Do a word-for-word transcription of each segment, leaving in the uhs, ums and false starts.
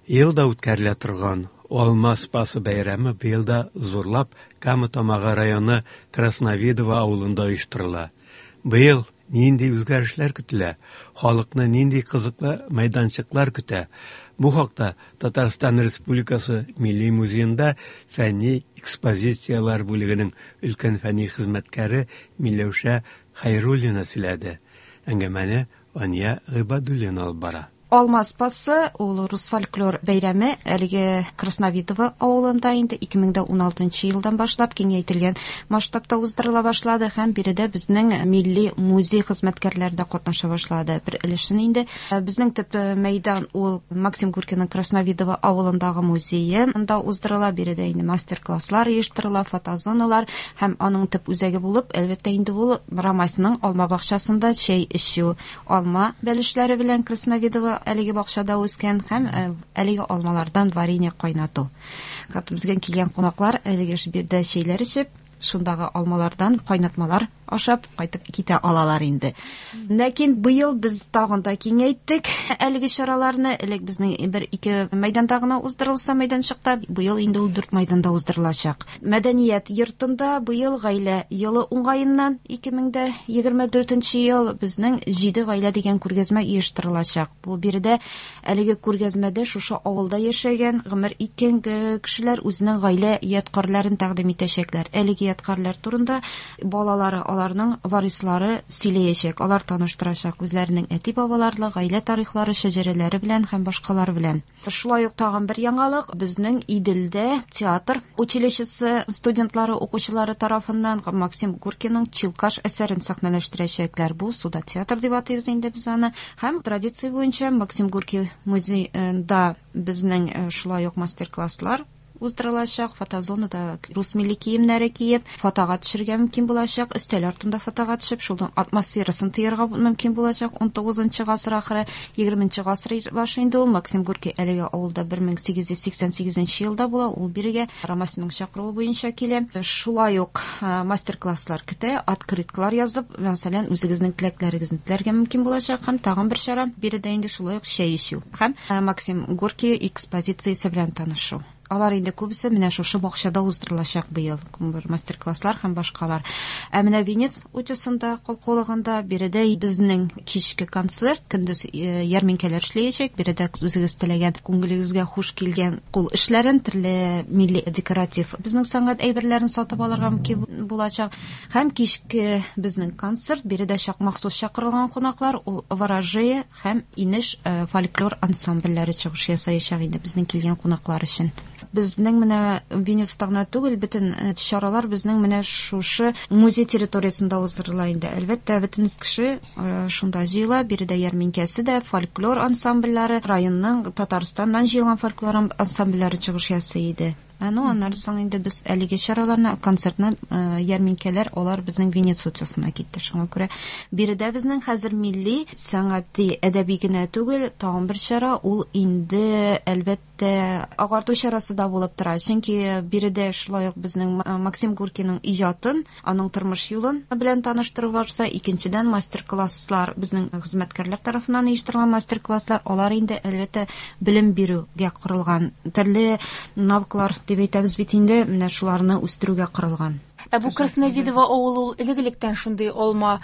Ел да үткәрелә торган Алма Спасы бәйрәме быел да зурлап Кама Тамагы районы Красновидово авылында оештырыла. Быел нинди үзгәрешләр көтелә, халыкны нинди кызыклы мәйданчыклар көтә? Бу хакта Татарстан Республикасы Милли музеенда фәнни экспозицияләр бүлегенең өлкән фәнни хезмәткәре Миләүшә Хәйруллина сөйләде. Әңгәмәне Ания Гыйбадуллина алып бара. Алма Спасы ул рус фольклор бәйрәме әлеге Красновидово авылында инде ике мең дә уналтынчы елдан башлап киңәйтелгән масштабта уздырыла башлады һәм биредә безнең милли музей хезмәткәрләре дә катнаша башлады. Бер өлешен инде безнең төп мәйдан ул Максим Горькийның Красновидово авылындагы музее, анда уздырыла. Биредә инде мастер-класслар оештырыла, фотозоналар һәм аның төп үзәге булып, әлбәттә инде ул Рамасның алма бакчасында чәй эчү, алма бәлешләре белән Красновидово әлеге бакчада үскән һәм, э, әлеге алмалардан варенье кайнату. Безгә килгән кунаклар әлеге биредә чәйләр эчеп, шундагы алмалардан кайнатмалар ашап кайтып китә алалар инде. Ләкин быел без тагын да киңәйттек әлеге чараларны. Элек безнең бер-ике мәйданда гына уздырылса мәйданчыкта, быел инде ул дүрт мәйданда уздырылачак. Мәдәният йортында быел гаилә елы уңаеннан ике мең дә егерме дүртенче ел безнең җиде гаилә дигән күргәзмә оештырылачак. Бу биредә әлеге күргәзмәдә шушы авылда яшәгән, гомер иткән кешеләр үзенең гаилә ядкарьләрен тәкъдим итәчәкләр. Әлеге ядкарьләр турында балалары, аларның варислары сөйләячәк, алар таныштырачак үзләренең әти-бабалары, гаилә тарихлары, шәҗәрәләре белән һәм башкалар белән. Шулай ук тагын бер яңалык, безнең Иделдә театр училищесы студентлары, укучылары тарафыннан Максим Горькийның Чилкаш әсәрен сәхнәләштерәчәкләр. Бу суда театр дип атыйбыз инде без аны. Һәм традиция буенча Максим Горький музеенда безнең, э, шулай ук мастер-класслар уздырылачак, фотозонада рус милли киемнәре киеп, фотога төшергә мөмкин булачак, өстәл артында фотога төшеп, шуның атмосферасын тоярга мөмкин булачак. Ун тугызынчы гасыр ахыры, егерменче гасыр башы инде ул Максим Горький әлеге авылда бер мең сигез йөз сиксән сигезенче елда була, ул бирегә Рамасның чакыруы буенча килә. Шулай ук, э, мастер-класслар көтә, открыткалар язып, мәсәлән, үзегезнең теләкләрегезне теләргә мөмкин булачак. Һәм тагын бер чара биредә инде шулай ук чәй эчү һәм, э, Максим Горький экспозициясе белән танышу. Алар инде күбесе менә шушы бакчада уздырылачак быел, бер мастер-класслар һәм башкалар. Ә менә Венец утесында, калкулыгында биредә безнең кичке концерт, көндез, э, ярминкәләр эшләячәк. Биредә үзегез теләгән, күңелегезгә хуш килгән кул эшләрен, төрле милли декоратив безнең сәнгать әйберләрен сатып алырга мөмкин булачак. Һәм кичке безнең концерт, биредә чак махсус чакырылган кунаклар, ул Ворожея һәм Инеш, э, фольклор ансамбльләре чыгыш ясаячак инде безнең килгән кунаклар өчен. Безнең менә Венецта гына түгел, бөтен, э, чаралар безнең менә шушы музей территориясендә уздырыла инде. Әлбәттә, бөтен кеше, э, шунда җыела. Биредә ярминкәсе дә, фольклор ансамбльләре, районның Татарстаннан җыелган фольклор ансамбльләре чыгыш ясый иде. Ә, ну, аннары соң инде без әлеге чараларны, концертны, э, ярминкәләр, алар безнең Венец утесына китте. Шуңа күрә биредә безнең хәзер милли сәнгати, әдәби генә түгел, тагын бер чара, ул инде әлбәттә агарту чарасы да булып тора. Чөнки биредә шулай ук безнең Ма-, Максим Горькийның иҗатын, аның тормыш юлын белән таныштыру барса, икенчедән мастер-класслар, безнең хезмәткәрләр тарафыннан оештырылган мастер-класслар, алар инде әлбәттә белем бирүгә корылган, төрле навыклар дип әйтәбез бит инде, менә шуларны үстерүгә корылган. Ә бу Красновидово авылы ул элек-электән шундый алма,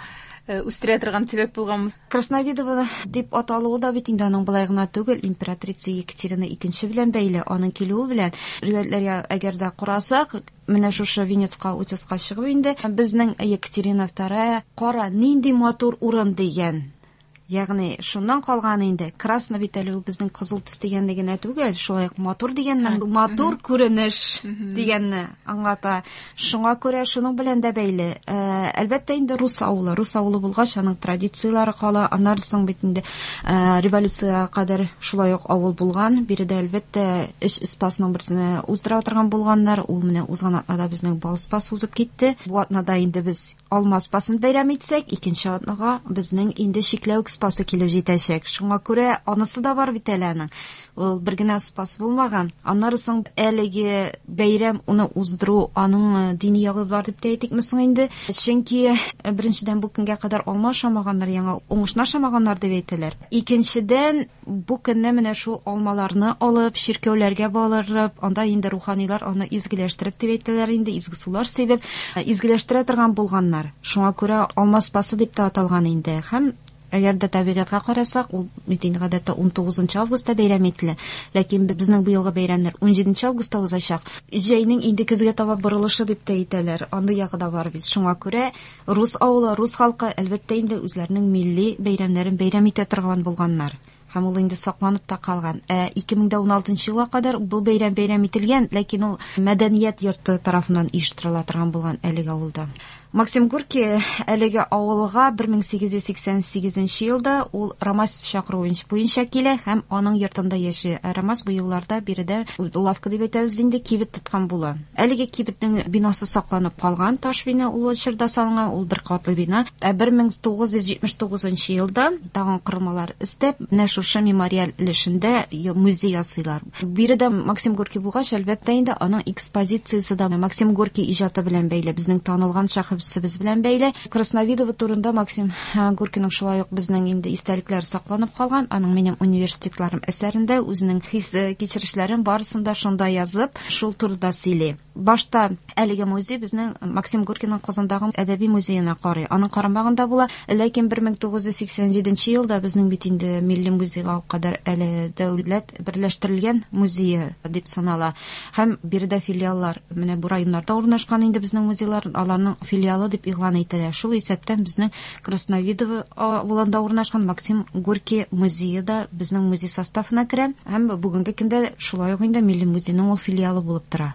э, үстерә торган төбәк булганмы? Красновидово дип аталуы да бит инде аның былай гына түгел, императрица Екатерина икенче белән бәйле, аның килүе белән. Риваятьләргә әгәр дә карасак, менә шушы Венецка, утеска чыгып инде, безнең Екатерина вторая кара нинди матур урын дигән. Ягъни шуннан калган инде. Красно бит әле ул безнең кызыл төс дигәнне генә түгел, шулай ук матур дигәннән, Һәм, матур мгм. күренеш Мгм. дигәнне аңлата. Шуңа күрә шуның белән дә бәйле. Э, әлбәттә инде рус авылы, рус авылы булгач, аның традицияләре кала. Аннан соң бит инде, э, революциягә кадәр шулай ук авыл булган. Биредә әлбәттә эш спасның берсен уздыра торган булганнар. Ул менә узган атнада безнең бал спасы узып китте. Бу атнада инде без алма спасын бәйрәм итсәк, икенче атнага безнең инде чикләвек Спасы килеп җитәчәк. Шуңа күрә анысы да бар бит әле аның. Ул бер генә Спас булмаган. Аннары соң әлеге бәйрәм уны уздыру аның дини ягы бар дип тә әйтикме соң инде. Чөнки беренчедән бу көнгә кадәр алма ашамаганнар, яңа уңышны ашамаганнар дип әйтәләр. Икенчедән бу көнне менә шул алмаларны алып чиркәүләргә барып, анда инде руханилар аны изгеләштереп дип әйтәләр инде, изге сулар сибеп изгеләштерә торган булганнар. Шуңа күрә алма Спасы дип тә аталган инде. Һәм әгәр дә табигатькә карасак, ул бит инде гадәттә ун тугызынчы августта бәйрәм ителә. Ләкин безнең быелгы бәйрәмнәр ун җиденче августта узачак. Җәйнең инде көзгә таба борылышы дип тә әйтәләр. Андый ягы да бар бит. Шуңа күрә рус авылы, рус халкы әлбәттә инде үзләренең милли бәйрәмнәрен бәйрәм итә торган булганнар. Һәм ул инде сакланып та калган. Ә ике мең ун алтынчы елга кадәр бу бәйрәм бәйрәм ителгән, ләкин ул мәдәният йорты тарафыннан оештырыла торган булган әлеге авылда. Максим Горький әлеге авылга бер мең сигез йөз сиксән сигезенче елда ул Рамас чакыруы буенча килә һәм аның йортында яши. Рамас бу елларда биредә лавка дип әйтәбез инде, кибет тоткан була. Әлеге кибетнең бинасы сакланып калган, таш бина ул чорда салынган, ул бер катлы бина. Ә бер мең тугыз йөз җитмеш тугызынчы елда тагын корылмалар өстәп, менә шушы мемориаль өлешендә музей ясыйлар. Биредә Максим Горький булгач, әлбәттә инде аның экспозициясе дә Максим Горький иҗаты белән бәйле, безнең танылган шәхес без белән бәйле. Красновидово турында Максим Горькийның шулай ук безнең инде истәлекләре сакланып калган. Аның минем университетларым әсәрендә үзенең хис кичерешләрен барысын да шунда язып, шул турыда сөйли. Башта әлеге музей безнең Максим Горькийның Казандагы әдәби музеена карый. Аның карамагында була. Ләкин бер мең тугыз йөз сиксән җиденче елда безнең бит инде милли музейга кадәр әле дәүләт берләштерелгән музее дип санала. Һәм биредә филиаллар менә бу районнарда урнашкан инде безнең музейлар, аларның филиалы дип игълан ителә. Шул исәптән безнең Красновидово авылында урнашкан Максим Горький музее да безнең музей составына керә. Һәм бүгенге көндә шулай ук инде милли музейның ул филиалы булып тора.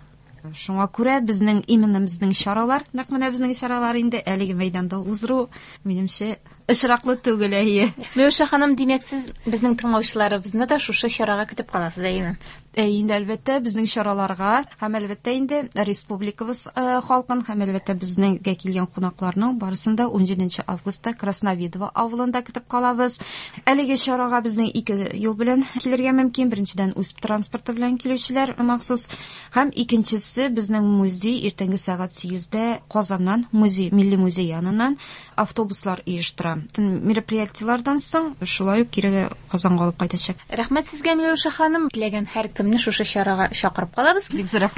Шуңа күрә безнең именно безнең чаралар, нәкъ менә безнең чаралар инде әлеге мәйданда уздыру, минемчә, очраклы түгел, әйе. Миләүшә ханым, димәк, сез безнең тыңлаучыларыбызны да шушы чарага көтеп каласыз, әйеме? Инде әлбәттә безнең чараларга һәм әлбәттә инде республикабыз халкын һәм әлбәттә безнеңгә килгән кунакларның барысын да ун җиденче августта Красновидово авылында көтеп калабыз. Әлеге чарага безнең ике юл белән килергә мөмкин. Беренчедән, үз транспорты белән килүчеләр махсус, һәм икенчесе безнең музей иртәнге сәгать сигездә Казаннан музей, милли музей яныннан автобуслар оештыра. Мероприятиеләрдән соң шулай ук кире Казанга алып кайтачак. Рәхмәт сезгә, Миләүшә ханым. Теләгән һәркемне шушы чарага чакырып калабыз. Бик зур рәхмәт.